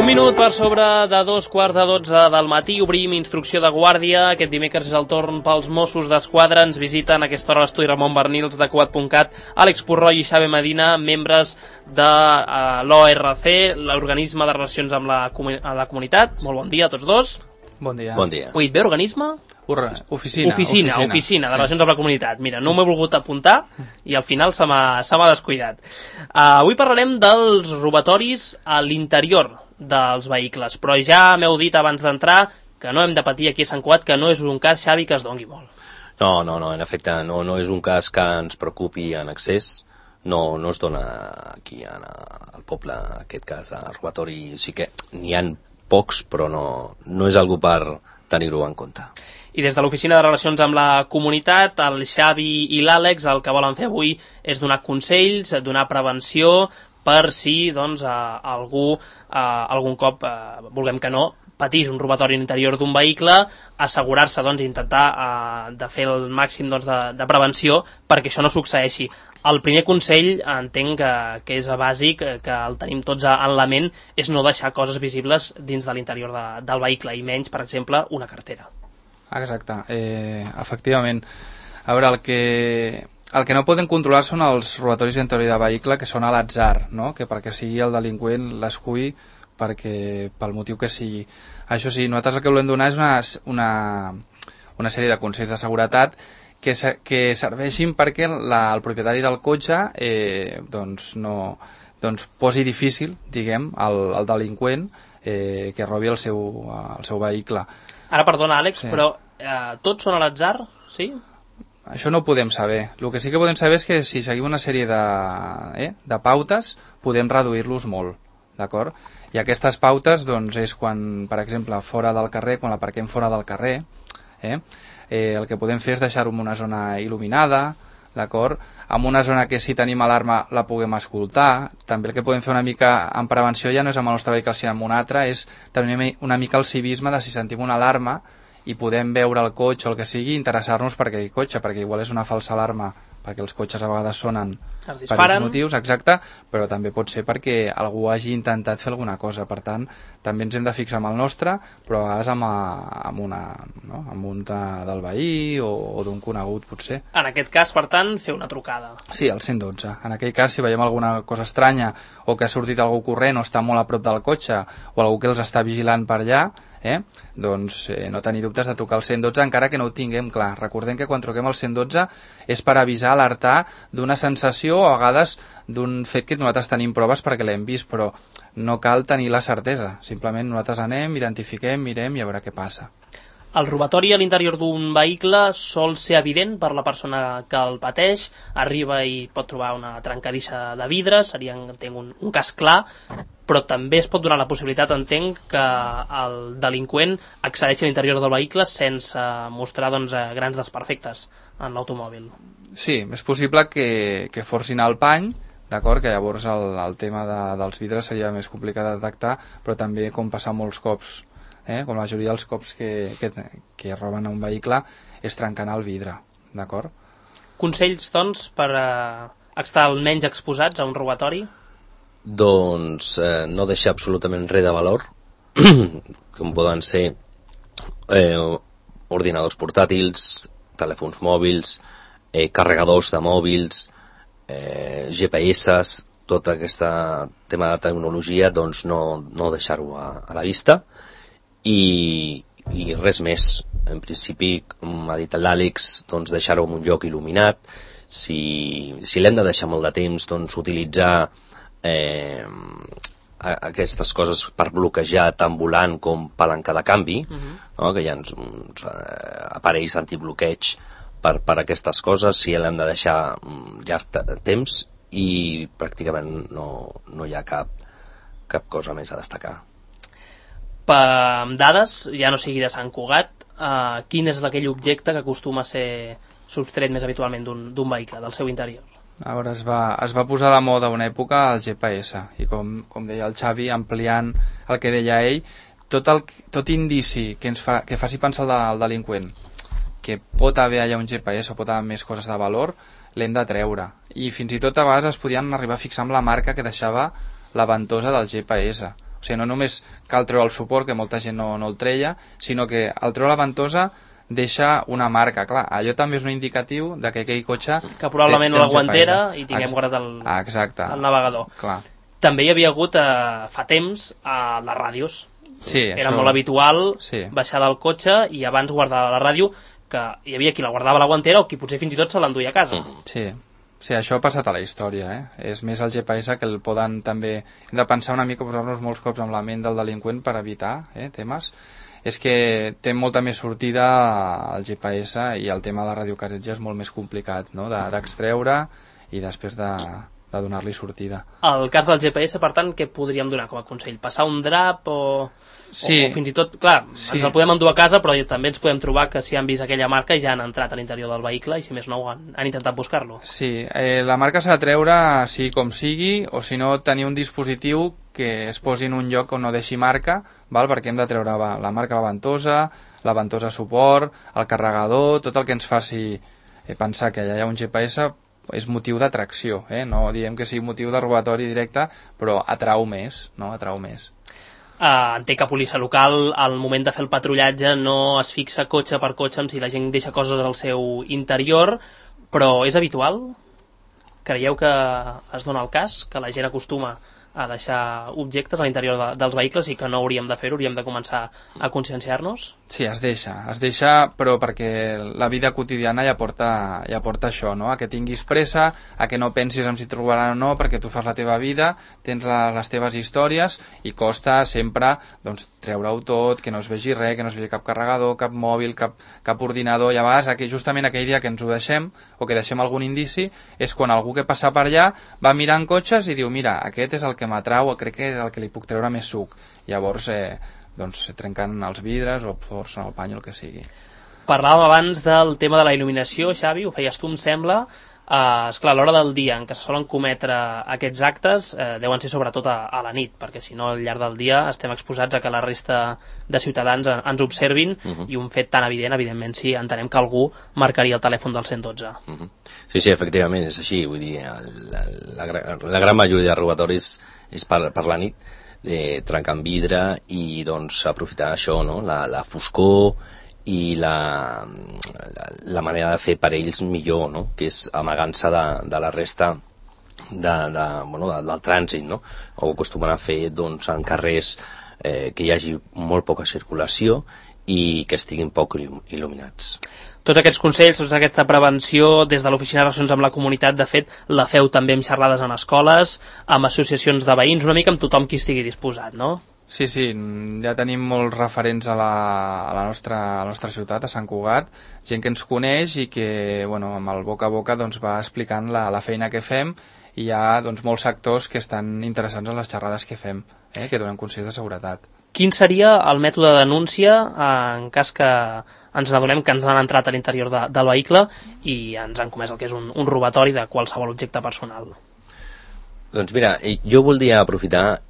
Un minut per sobre de 2:15 del matí, obrim instrucció de guàrdia. Aquest dimecres és el torn pels Mossos d'Esquadra. Ens visiten a aquesta hora l'estudi Ramon Bernils de Cugat.cat, Àlex Purroy i Xavi Medina, membres de l'ORC, l'organisme de relacions amb la comunitat. Molt bon dia a tots dos. Bon dia. Bon dia. Ui, bé, organisme? Oficina de relacions amb la comunitat. Mira, no m'he volgut apuntar i al final se m'ha descuidat. Avui parlarem dels robatoris a l'interior dels vehicles, però ja m'heu dit abans d'entrar que no hem de patir aquí a Sant Cugat, que no és un cas, Xavi, que es dongui molt. No, en efecte, no és un cas que ens preocupi en excés. No es dona aquí al poble aquest cas de robatori. Sí que n'hi ha pocs, però no és algo per tenir-ho en compte. I des de l'Oficina de Relacions amb la Comunitat, el Xavi i l'Àlex el que volen fer avui és donar consells, donar prevenció per si algú algun cop, vulguem que no, patís un robatori a l'interior d'un vehicle, assegurar-se, intentar de fer el màxim de prevenció perquè això no succeeixi. El primer consell, entenc que és bàsic, que el tenim tots en la ment, és no deixar coses visibles dins de l'interior del vehicle, i menys, per exemple, una cartera. Exacte, efectivament. A veure, el que no poden controlar són els robatoris d'interior de vehicle, que són a l'atzar, no? Que perquè sigui el delinqüent l'esculli pel motiu que sigui. Això sí, nosaltres el que volem donar és una sèrie de consells de seguretat que serveixin perquè el propietari del cotxe posi difícil, diguem, al delinqüent que robi el seu vehicle. Ara, perdona, Àlex, sí. Però tots són a l'atzar, sí? Això no ho podem saber. El que sí que podem saber és que si seguim una sèrie de pautes podem reduir-los molt, d'acord? I aquestes pautes és quan, per exemple, fora del carrer, quan l'aparquem fora del carrer, el que podem fer és deixar-ho en una zona il·luminada, d'acord? En una zona que si tenim alarma la puguem escoltar. També el que podem fer una mica en prevenció ja no és amb el nostre vehicle sinó amb un altre, és tenir una mica el civisme de si sentim una alarma i podem veure el cotxe o el que sigui, interessar-nos per aquell cotxe, perquè igual és una falsa alarma, perquè els cotxes a vegades sonen per aquests motius, exacte, però també pot ser perquè algú hagi intentat fer alguna cosa. Per tant, també ens hem de fixar amb el nostre, però a vegades amb un del veí o d'un conegut, potser. En aquest cas, per tant, fer una trucada. Sí, al 112. En aquell cas, si veiem alguna cosa estranya o que ha sortit algú corrent o està molt a prop del cotxe o algú que els està vigilant per allà, no tenir dubtes de trucar al 112 encara que no ho tinguem clar. Recordem que quan truquem al 112 és per avisar, alertar d'una sensació o a vegades d'un fet que nosaltres tenim proves perquè l'hem vist, però no cal tenir la certesa. Simplement nosaltres anem, identifiquem, mirem i a veure què passa. El robatori a l'interior d'un vehicle sol ser evident per la persona que el pateix, arriba i pot trobar una trencadissa de vidre, seria, entenc, un cas clar, però també es pot donar la possibilitat, entenc, que el delinqüent accedeixi a l'interior del vehicle sense mostrar grans desperfectes en l'automòbil. Sí, és possible que forcin el pany, d'acord, que llavors el tema dels vidres seria més complicat de detectar, però també com passa molts cops, com la majoria dels cops que roben a un vehicle és trencant el vidre, d'acord? Consells, doncs, per estar almenys exposats a un robatori? Doncs no deixar absolutament res de valor, com poden ser ordinadors portàtils, telèfons mòbils, carregadors de mòbils, GPS, tot aquest tema de tecnologia, doncs no deixar-ho a la vista. I res més. En principi, com ha dit l'Àlex, doncs deixar-ho en un lloc il·luminat. Si l'hem de deixar molt de temps, doncs utilitzar aquestes coses per bloquejar tant volant com palanca de canvi, no? Que hi ha uns aparells antibloqueig per aquestes coses. Si l'hem de deixar llarg temps i pràcticament no hi ha cap cosa més a destacar. Per dades, ja no sigui de Sant Cugat, quin és aquell objecte que acostuma a ser sostret més habitualment d'un vehicle, del seu interior? A veure, es va posar de moda una època el GPS, i com deia el Xavi, ampliant el que deia ell, tot indici que faci pensar al delinqüent que pot haver allà un GPS o pot haver més coses de valor, l'hem de treure. I fins i tot a vegades es podien arribar a fixar amb la marca que deixava la ventosa del GPS, O sigui, no només cal treure el suport, que molta gent no el treia, sinó que al treure la ventosa deixa una marca, clar, allò també és un indicatiu de que aquell cotxe... Que probablement la guantera i tinguem guardat el navegador. Clar. També hi havia hagut fa temps a les ràdios. Sí, era això... molt habitual baixar del cotxe i abans guardar la ràdio, que hi havia qui la guardava a la guantera o qui potser fins i tot se l'enduia a casa. Sí, això ha passat a la història, És més el GPS que el poden també... Hem de pensar una mica, posar-nos molts cops amb la ment del delinqüent per evitar temes. És que té molta més sortida el GPS i el tema de la radiocasetja és molt més complicat, no? D'extreure i després de donar-li sortida. El cas del GPS, per tant, què podríem donar com a consell? Passar un drap o fins i tot, clar, ens el podem endur a casa, però també ens podem trobar que si han vist aquella marca ja han entrat a l'interior del vehicle i si més no han intentat buscar-lo. Sí, la marca s'ha de treure sigui com sigui, o si no tenir un dispositiu que es posi en un lloc on no deixi marca, perquè hem de treure la marca la ventosa suport, el carregador, tot el que ens faci pensar que allà hi ha un GPS és motiu d'atracció, no diem que sigui motiu de robatori directe, però atrau més, no? Atrau més. Entenc que policia local al moment de fer el patrullatge no es fixa cotxe per cotxe amb si la gent deixa coses al seu interior, però és habitual? Creieu que es dona el cas, que la gent acostuma a deixar objectes a l'interior dels vehicles i que no hauríem de fer-ho, hauríem de començar a conscienciar-nos? Sí, es deixa, però perquè la vida quotidiana ja porta això, no? A que tinguis pressa, a que no pensis en si et robaran o no, perquè tu fas la teva vida, tens les teves històries i costa sempre treure-ho tot, que no es vegi res, que no es vegi cap carregador, cap mòbil, cap ordinador, i a vegades justament aquell dia que ens ho deixem o que deixem algun indici és quan algú que passa per allà va mirant cotxes i diu, mira, aquest és el que m'atrau, crec que és el que li puc treure més suc. Llavors trenquen els vidres o forcen el pany o el que sigui. Parlàvem abans del tema de la il·luminació, Xavi, ho feies tu, em sembla. Esclar, a l'hora del dia en què se solen cometre aquests actes deuen ser sobretot a la nit, perquè si no al llarg del dia estem exposats a que la resta de ciutadans ens observin i un fet tan evident, evidentment sí, entenem que algú marcaria el telèfon del 112. Sí, efectivament, és així, vull dir, la gran majoria de robatoris és per la nit, trencant vidre i doncs aprofitar això, no? La foscor i la manera de fer per ells millor, no? Que és amagant-se de la resta del trànsit, no? Ho acostumen a fer en carrers que hi hagi molt poca circulació i que estiguin poc il·luminats. Tots aquests consells, tota aquesta prevenció des de l'Oficina de Relacions amb la Comunitat, de fet, la feu també amb xerrades en escoles, amb associacions de veïns, una mica amb tothom qui estigui disposat, no? Sí, ja tenim molts referents a la nostra ciutat, a Sant Cugat, gent que ens coneix i que, amb el boca a boca va explicant la feina que fem i hi ha molts sectors que estan interessats en les xerrades que fem, que donem consells de seguretat. Quin seria el mètode de denúncia en cas que ens n'adonem que ens han entrat a l'interior del vehicle i ens han comès el que és un robatori de qualsevol objecte personal? Doncs mira, jo voldria aprofitar,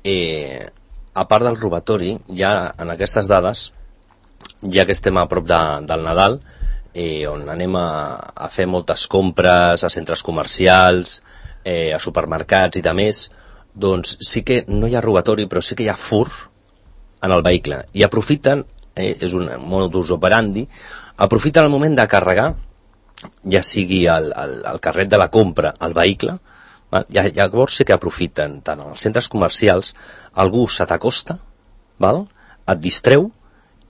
a part del robatori, ja en aquestes dades, ja que estem a prop del Nadal, on anem a fer moltes compres a centres comercials, a supermercats i de més, doncs sí que no hi ha robatori, però sí que hi ha fur en el vehicle. I aprofiten, és un modus operandi, aprofiten el moment de carregar, ja sigui el carret de la compra al vehicle, llavors sí que aprofiten, tant als centres comercials, algú se t'acosta, et distreu,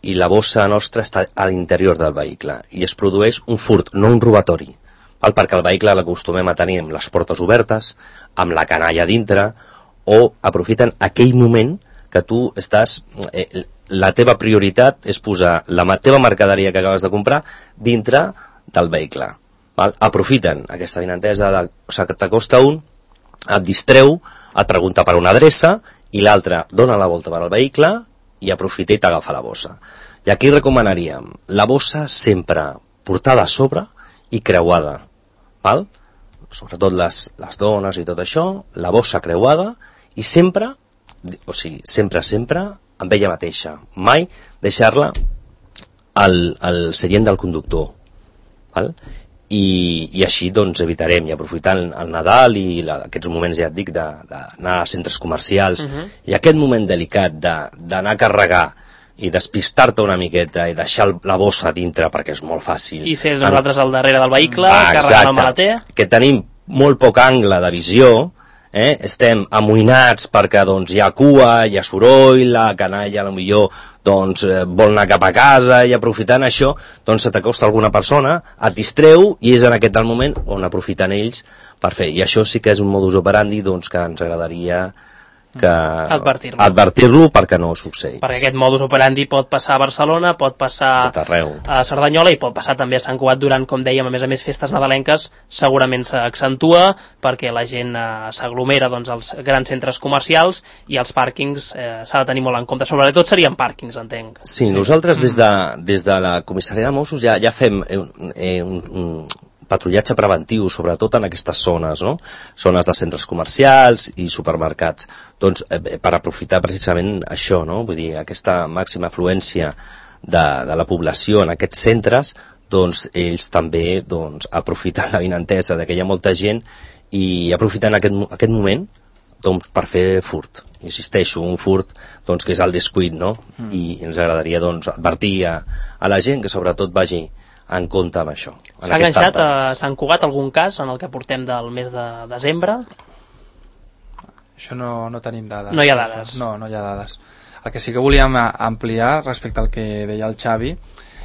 i la bossa nostra està a l'interior del vehicle, i es produeix un furt, no un robatori, perquè el vehicle l'acostumem a tenir amb les portes obertes, amb la canalla dintre, o aprofiten aquell moment que tu estàs... La teva prioritat és posar la teva mercaderia que acabes de comprar dintre del vehicle. Aprofiten aquesta avinentesa que t'acosta un, et distreu, et pregunta per una adreça i l'altre dona la volta per al vehicle i aprofita i t'agafa la bossa. I aquí recomanaríem la bossa sempre portada a sobre i creuada, sobretot les dones i tot això, la bossa creuada i sempre, sempre amb ella mateixa, mai deixar-la al seient del conductor, i així doncs evitarem, i aprofitant el Nadal i aquests moments, ja et dic, d'anar a centres comercials, i aquest moment delicat d'anar a carregar i despistar-te una miqueta i deixar la bossa dintre, perquè és molt fàcil. I ser nosaltres al darrere del vehicle, carregant el maleter. Que tenim molt poc angle de visió, estem amoïnats perquè doncs, hi ha cua, hi ha soroll, la canalla potser doncs, vol anar cap a casa, i aprofitant això doncs, se t'acosta alguna persona, et distreu, i és en aquest moment on aprofiten ells per fer. I això sí que és un modus operandi doncs, que ens agradaria advertir-lo perquè no succeeix. Perquè aquest modus operandi pot passar a Barcelona, pot passar a Cerdanyola i pot passar també a Sant Cugat durant, com dèiem, a més festes nadalenques, segurament s'accentua perquè la gent s'aglomera doncs, als grans centres comercials, i els pàrquings s'ha de tenir molt en compte. Sobretot serien pàrquings, entenc. Sí, nosaltres des de la comissaria de Mossos ja fem un patrullatge preventiu, sobretot en aquestes zones, no? Zones de centres comercials i supermercats, doncs, per aprofitar precisament això, no? Vull dir, aquesta màxima afluència de la població en aquests centres, doncs ells també doncs, aprofiten la vinentesa que hi ha molta gent i aprofiten aquest moment doncs, per fer furt. Insisteixo, un furt doncs, que és el descuit, no? I ens agradaria doncs, advertir a la gent que sobretot vagi en compte amb això. S'ha enganxat a Sant Cugat algun cas en el que portem del mes de desembre? Això no tenim dades. No hi ha dades. No hi ha dades. El que sí que volíem ampliar respecte al que deia el Xavi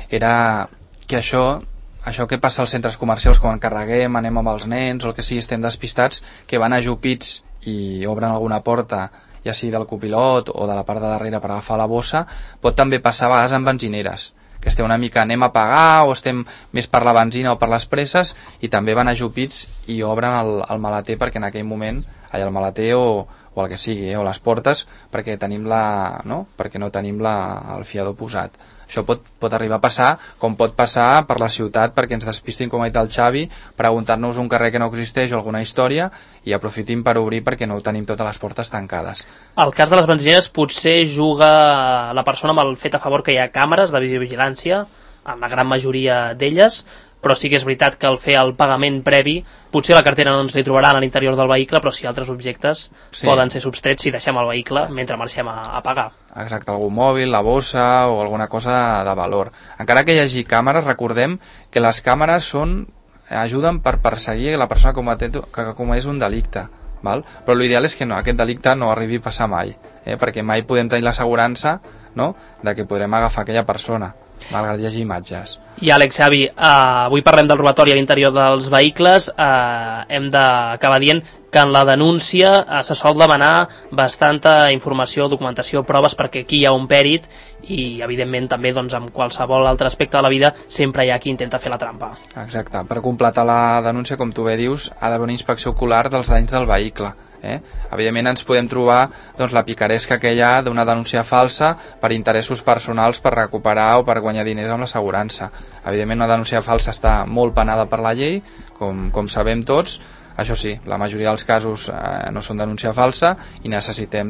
era que això que passa als centres comercials quan carreguem, anem amb els nens o el que sigui, estem despistats, que van ajupits i obren alguna porta, ja sigui del copilot o de la part de darrere per agafar la bossa, pot també passar a vegades amb benzineres, que estem una mica anem a pagar o estem més per la benzina o per les presses, i també van ajupits i obren el maleter perquè en aquell moment el maleter o el que sigui, o les portes, perquè tenim perquè no tenim el fiador posat. Això pot arribar a passar, com pot passar per la ciutat perquè ens despistin, com ha dit el Xavi, preguntant-nos un carrer que no existeix o alguna història, i aprofitin per obrir perquè no tenim totes les portes tancades. El cas de les benzineres potser juga la persona amb el fet a favor que hi ha càmeres de videovigilància, en la gran majoria d'elles, però sí que és veritat que al fer el pagament previ, potser la cartera no ens li trobaran a l'interior del vehicle, però sí altres objectes poden ser substrets si deixem el vehicle mentre marxem a pagar. Exacte, algun mòbil, la bossa o alguna cosa de valor. Encara que hi hagi càmeres, recordem que les càmeres ajuden per perseguir la persona que comès un delicte, val? Però l'ideal és que aquest delicte no arribi a passar mai, perquè mai podem tenir l'assegurança de que podrem agafar aquella persona, malgrat hi hagi imatges. I Àlex, Xavi, avui parlem del robatori a l'interior dels vehicles. Hem d'acabar dient que en la denúncia se sol demanar bastanta informació, documentació, proves, perquè aquí hi ha un pèrit i, evidentment, també amb qualsevol altre aspecte de la vida sempre hi ha qui intenta fer la trampa. Exacte. Per completar la denúncia, com tu bé dius, ha d'haver una inspecció ocular dels danys del vehicle. Evidentment ens podem trobar la picaresca que hi ha d'una denúncia falsa per interessos personals, per recuperar o per guanyar diners amb l'assegurança. Evidentment una denúncia falsa està molt penada per la llei, com sabem tots. Això sí, la majoria dels casos no són denúncia falsa i necessitem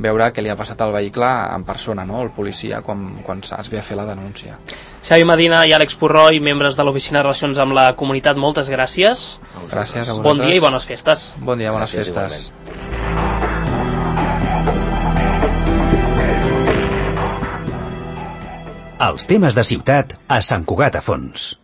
veure què li ha passat al vehicle en persona, el policia, quan es ve a fer la denúncia. Xavi Medina i Àlex Purroi, membres de l'Oficina de Relacions amb la Comunitat, moltes gràcies. Gràcies a vosaltres. Bon dia i bones festes. Bon dia, bones festes. Els temes de ciutat a Sant Cugat a Fons.